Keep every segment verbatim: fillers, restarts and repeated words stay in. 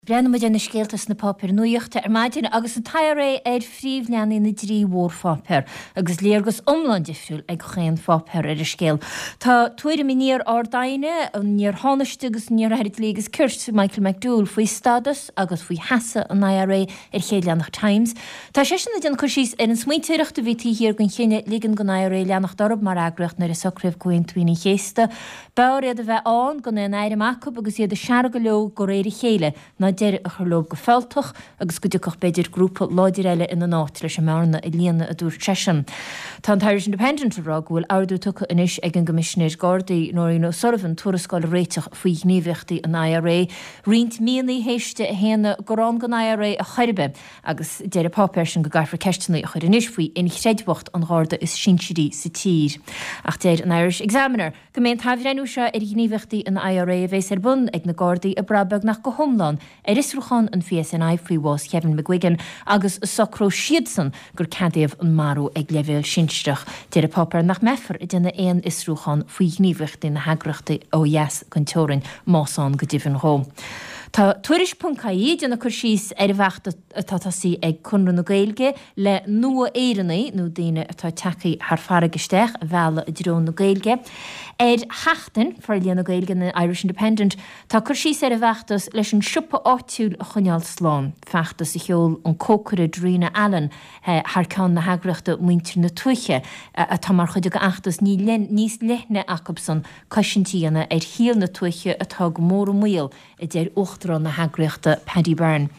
Breathnaíonn muid ar na scéalta sna páipéir nuachta ar maidin agus an t-I R A ar phríomhleathanaigh na dtrí mhórpháipéar agus léargas iomlán difriúil ag chaon pháipéar ar an scéal. Tá tuairim an iar-Ard-Aighne, an iar-Thánaiste agus an iar-Aire Dlí agus Cirt Michael McDowell faoi stádas agus faoi sheasamh an I R A ar chéad leathanach Times. Tá seisean ag déanamh cur síos ar an smaointeoireacht a bhí taobh thiar den chinneadh ligean don I R A leanacht orthu mar eagraíocht nuair a socraíodh Comhaontú Aoine an Chéasta. B'fhearr iad a bheith ann gan aon airm acu agus iad ag seargadh leo de réir a chéile ná deireadh a chur leo go fealltach agus go dtiocfadh b'fhéidir grúpa láidir eile ina n-áit leis an mbearna a líonadh, a dúirt seisean. Tá an Irish Independent ag rá go bhfuil ordú tugtha anois ag an gCoimisinéir Gardaí Nóirín O'Sullivan tuarascáil a réiteach faoi ghníomhaíochtaí an I R A roinnt míonna théis di a shéanadh gur ann don I R A ar chor ar bith agus deir an páipéar sin go gcaithfear ceisteanna a chur anois faoi inchreidmheacht an Gharda is sinsearaí sa tír. Ach deir an Irish Examiner go mbeidh an t-athbhreithniú seo ar ghníomhaíochtaí an I R A a bheas ar bun ag na Gardaí ag brath beagnach go hiomlán ar fhiosrúchán an P S N I faoi bhás Kevin McGuigan agus socróidh siadsan gur ceadaíodh an marú ag leibhéal sinsearach. Deir an páipéar nach mbeifear ag déanamh aon fhiosrúchán faoi ghníomhaíochtaí na heagraíochta ó dheas den teorainn más ann go deimhin dó. Tá tuairisc ponc I E ag déanamh cur síos ar an bhfeachtas atá tosaithe ag Conradh na Gaeilge le nua-Éireannaigh nó daoine atá tagtha thar farraige isteach a mhealladh i dtreo na Gaeilge. Ar Sheachtain Forlíonadh Gaeilge na Irish Independent tá cur síos ar an bhfeachtas leis an siopa áitiúil a choinneáil slán. Feachtas a sheol an cócaire Darina Allen thar ceann na heagraíochta Muintir na Tuaithe atá mar chuid den fheachtas níos leithne acusan cosaint a dhéanamh ar shaol na tuaithe atá go mór i mbaol, a deir uachtarán na heagraíochta Paddy Byrne.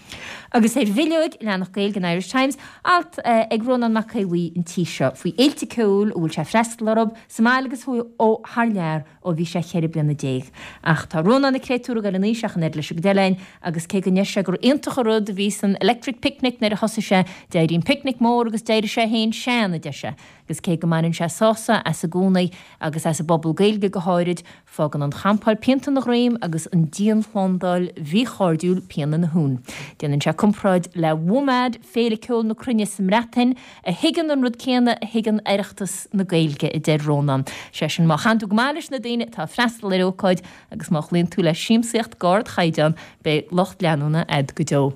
Agus ar bhileog leathanach Gaeilge an Irish Times, alt ag Rónán Mac Aodha Bhuí an tí seo faoi fhéilte ceoil a bhfuil sé freastal orthu sa mbaile agus ó thar lear ó bhí sé ceithre bliana déag. Ach tá Rónán an créatúr ag dul in aois ach an oiread leis an gcuid eile againn agus cé go ndeir sé gur iontach an rud a bhí san Electric Picnic nuair a thosaigh sé, d'éirigh an picnic mór agus d'éirigh sé féin sean, a deir sé. Agus cé go mbaineann sé sásamh as i gcónaí agus as an bpuball Gaeilge go háirid, fágann an champáil pianta ina dhroim agus an dianshlándáil mhíchairdiúil pian ina thún. Déanann sé comparáid le WOMAD, Féile Ceoil na Cruinne sa mBreatain, a thuigeann an rud céanna a thuigeann Oireachtas na Gaeilge, a deir Rónán. Sé sin má chaitheann tú go maith leis na daoine atá ag freastal ar ócáid agus má chloíonn tú le siamsaíocht d'ardchaighdeán, beidh lucht leanúna agat go deo.